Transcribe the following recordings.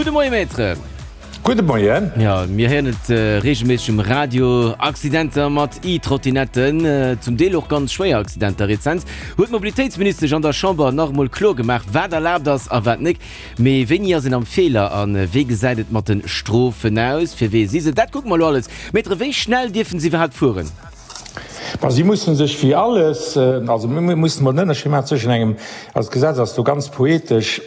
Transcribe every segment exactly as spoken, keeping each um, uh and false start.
Gudde Moie Maître. Gudde Moien. Jo, mir héieren et reegelméisseg um Radio, Accidenter mat E-Trottinetten, zum Deel och ganz schwéier Accidenter. Rezent huet d'Mobilitéitsministesch an der Chamber nach emol kloer gemaach, wat erlaabt ass a wat nek. Mee wéini ass een am Feeler a wéi gesäit et mat de Strofen aus? Fir wee si se? Dat kucke mer elo alles. Maître, wéi schnell dierfen se iwwerhaapt fueren? Ma si mussen sech wéi alles, also mir mussen emol en Ënnerscheed maachen zwëschen engem, also d'Gesetz ass do ganz poetesch,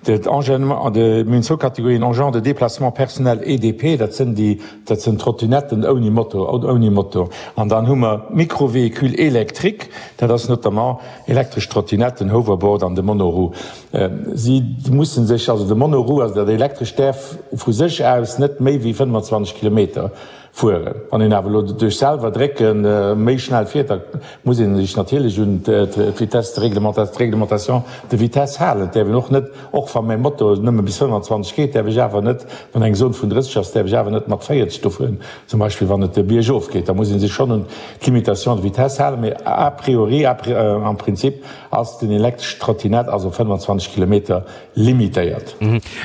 de Engin, de, mir hunn zwou Kategorien, Engins de déplacement personnel, E D P, dat sënn déi, dat sënn Trottinetten ouni Motor, ouni Motor. An dann hu mer Micro-véhicules électriques, dat ass notamment elektresch Trottinetten, Hoverboard an de Monoroue. Si mussen sech, also de Monoroue, also dat Elektrescht, däerf vu sech aus net méi wéi fënnefenzwanzeg Kilometer Fueren. Wann een awer elo duerch selwer drécke méi schnell fiert, da muss ee sech natierlech un d'Vitesse, d'Réglementation de vitesse halen. Et däerf een och net, och wa mäi Moto nëmme bis fënnfanzwanzeg geet, däerf ech awer net, wann eng Zone vun drësseg ass, däerf ech awer net mat véierzeg do fueren, zum Beispill wann et biergof geet. Da muss ee sech schonn un d'Limitation de vitesse halen. Mee a priori, am Prinzip ass den elektreschen Trottinett also fënnfanzwanzeg Kilometer limitéiert.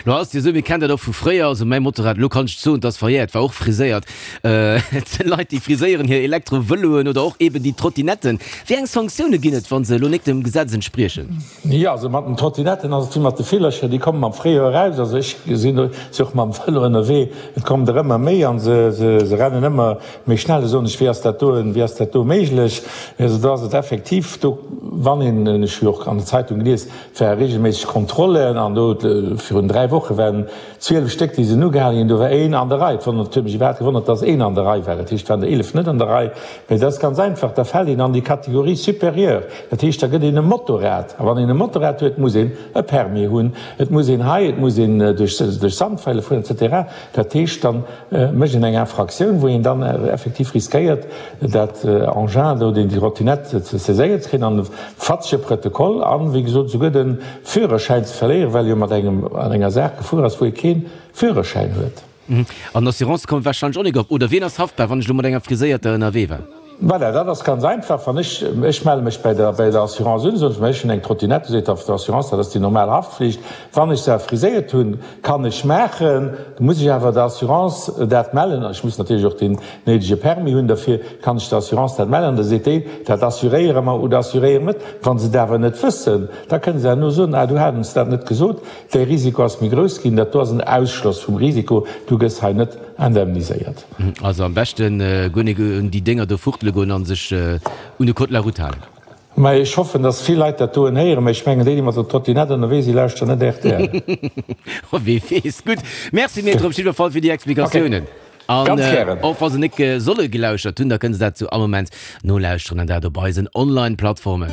Lo ass et jo esou, mir kennen dat och vu fréier, also mäi Motorrad, elo kann ech et soen, et ass verjährt, war och friséiert. Et sinn Leit, déi friséieren hir Elektro-Vëloen oder och eben déi Trottinetten. Wéi eng Sanktioune ginn et, wa se elo nik dem Gesetz entspriechen? Jo, also mat den Trottinetten ass et wéi mat de Villercher, déi kommen am Fréijoer eraus. Also ech sinn och mam Vëlo ënnerwee, et kommen der ëmmer méi an se rennen ëmmer méi schnell. Da soen ech, wéi ass dat do, wéi ass dat do méiglech? Also do ass et effektiv do, wann een, ech hu jo och an der Zeitung gelies, Et ware reegelméisseg Kontrollen an do virun dräi Woche waren zwielef Stéck, déi sinn ugehale ginn. Do war een an der Rei. Et wonnert, huet mech iwwerhaapt gewonnert, dass een an der Rei war. Dat heescht, et waren der eelef net an der Rei. Mee dat ass ganz einfach, da fält een an déi Catégorie supérieure. Dat heescht, da gëtt een e Motorrad. A wann een e Motorrad huet, muss een e Permis hunn, et muss een hei, et muss een duerch duerch Sandfäile fueren et cetera. Dat heescht, dann mécht een eng Infraktioun, wou een dann effektiv riskéiert, dat Engin do, déi Trottinette ze saiséiert ze kréien an e fatzege Protokoll an, wéi gesot, esouguer de Führerschäin ze verléieren, well e jo mat engem an enger Saach gefuer ass, wou e kee Führerschäin huet. An d'Assurance kommt warscheinlech och nik op. Oder wien ass haftbar, wann ech elo mat enger friséierter ënnerwee war? Voilà, dat ass ganz einfach. Wann ech, ech melle mech bei der, bei der Assurance un, soen ech, ma ech hunn eng Trottinette, seet d'Assurance, dat ass déi normal Haftflicht. Wann ech se friséiert hunn, kann ech maachen, da muss ech awer der Assurance dat mellen, an ech muss natierlech och deen néidege Permis hunn derfir, kann ech der Assurance dat mellen, an da seet déi, dat assuréiere mer oder assuréiere mer net. Wa se et awer net wëssen, da kënne se herno soen, ah, du hat ons dat net gesot, däi Risiko ass méi grouss ginn, dat do ass en Ausschloss vum Risiko, du gëss hei net indemniséiert. Also am beschten guer nik un déi Dénger do fuchtele goen an sech un de Code de la route halen. Mä ech hoffen, dass vill Leit dat doen héieren, mä ech mengen déi, déi mat der Trottinette ënnerwee sinn, lauschteren net rtl. Oh, wee weess. Gutt, Merci Maître op jiddwer Fall fir déi Explikatiounen. An och wa se nik solle gelauschtert hunn, da kënne se dat zu all Moment nolauschteren an dat op eisen Online-Plattformen.